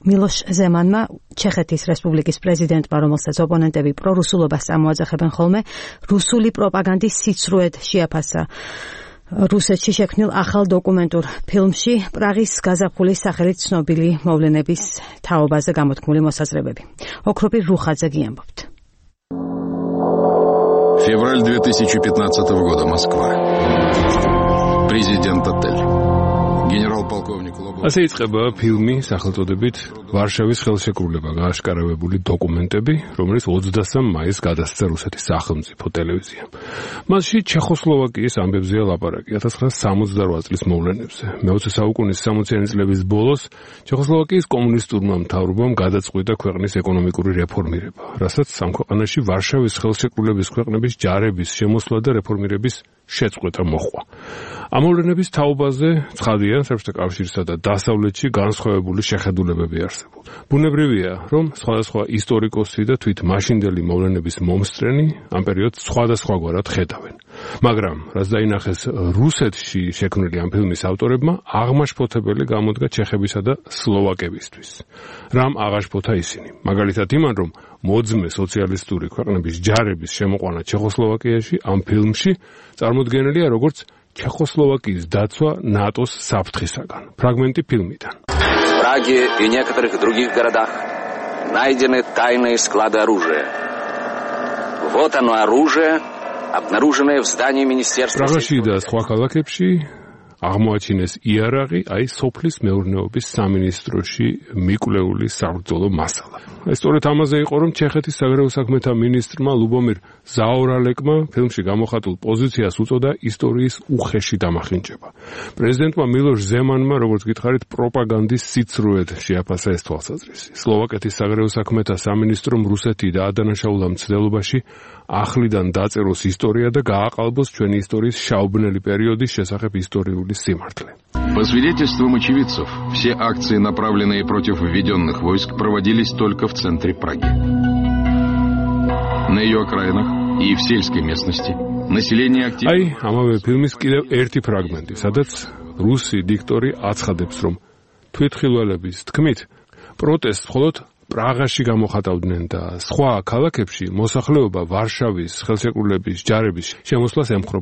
მილოშ ზემანმა, ჩეხეთის რესპუბლიკის პრეზიდენტმა, რომელსაც ოპონენტები პრორუსულობას წამოაძახებენ ხოლმე, რუსული პროპაგანდის სიცრუედ შეაფასა. რუსეთში შექმნილ ახალ დოკუმენტურ ფილმში პრაღის გაზაფხულის სახელით ცნობილი მოვლენების თაობაზე გამოთქმული მოსაზრებები. ოქროპირ რუხაძე გიამბობთ. Февраль 2015 года, Москва. Президент отель. Генерал-полковник Лобов. ასე იწყება ფილმი სახელწოდებით ვარშავის ხელშეკრულება გააშკარავებული დოკუმენტები, რომელიც 23 მაისს გადასცა რუსეთის სახელმწიფო ტელევიზიამ. მასში ჩეხოსლოვაკიის ამბებზეა ლაპარაკი 1968 წლის მოვლენებზე. მე-20 საუკუნის 60-იანი წლების ბოლოს ჩეხოსლოვაკიის კომუნისტურმა მთავრობამ გადაწყვიტა ქვეყნის ეკონომიკური რეფორმირება, რასაც ამ ქვეყანაში ვარშავის ხელშეკრულების ქვეყნების ჯარების შემოსვლა და რეფორმირების შეწყვეტა მოჰყვა. ამ მოვლენების თაობაზე ცხადია, საბჭოთა კავშირსა და დასავლეთში განსხვავებული შეხედულებები არსებობს. ბუნებრივია, რომ სხვადასხვა ისტორიკოსი და თვით მაშინდელი მოვლენების მომსწრენი ამ პერიოდს სხვადასხვაგვარად ხედავენ. მაგრამ, რაც დაინახეს რუსეთში შექმნილი ამ ფილმის ავტორებმა, აღმაშფოთებელი გამოდგა ჩეხებისა და სლოვაკებისთვის. რამ აღაშფოთა ისინი? მაგალითად იმან, რომ მოძმე სოციალისტური ქვეყნების ჯარების შემოყვანა ჩეხოსლოვაკიაში ამ ფილმში წარმოდგენილია როგორც ჩეხოსლოვაკიის დაცვა ნატოს საფრთხისაგან. ფრაგმენტი ფილმიდან. В Праге и некоторых других городах найдены тайные склады оружия. Вот оно оружие, обнаруженное в здании министерства. პრაღაში და სხვა ქალაქებში აღმოაჩინეს იარაღი, აი სოფლის მეურნეობის სამინისტროში მიკვლეული საბრძოლო მასალა. სწორედ ამაზე იყო, რომ ჩეხეთის საგარეო საქმეთა მინისტრმა ლუბომირ ზაორალეკმა ფილმში გამოხატულ პოზიციას უწოდა ისტორიის უხეში დამახინჯება. პრეზიდენტმა მილოშ ზემანმა, როგორც გითხარით, პროპაგანდის სიცრუედ შეაფასა ეს თვალსაზრისი. სლოვაკეთის საგარეო საქმეთა სამინისტრომ რუსეთი და ადანაშაულა მცდელობაში ახლიდან დაწეროს ისტორია და გააყალბოს ჩვენი ისტორიის შაუბნელი პერიოდის შესახებ ისტორიული სიმართლე. По свидетельствам очевидцев, все акции, направленные против введенных войск, проводились только в центре Праги. На ее окраинах и в сельской местности население активно... Აი, ამავე ფილმის კიდევ ერთი ფრაგმენტი, სადაც რუსი დიქტორი აცხადებს, რომ თვითმხილველების თქმით, პროტესტს მხოლოდ პრაღაში გამოხატავდნენ და სხვა ქალაქებში მოსახლეობა ვარშავის ხელშეკრულების ჯარების შემოსვლას ემხრობოდა.